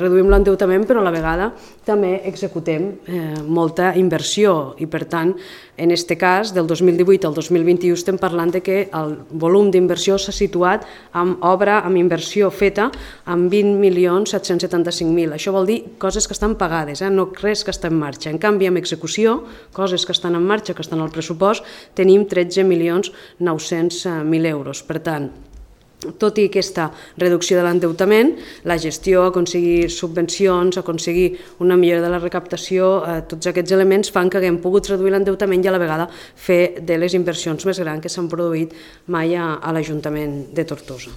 Reduïm l'endeutament, però a la vegada també executem molta inversió i, per tant, en aquest cas, del 2018 al 2021 estem parlant de que el volum d'inversió s'ha situat amb obra, amb inversió feta, amb 20.775.000. Això vol dir coses que estan pagades, no res que està en marxa. En canvi, amb execució, coses que estan en marxa, que estan al pressupost, tenim 13.900.000 euros. Per tant, tot i aquesta reducció de l'endeutament, la gestió, aconseguir subvencions, aconseguir una millora de la recaptació, tots aquests elements fan que haguem pogut reduir l'endeutament i a la vegada fer de les inversions més grans que s'han produït mai a l'Ajuntament de Tortosa.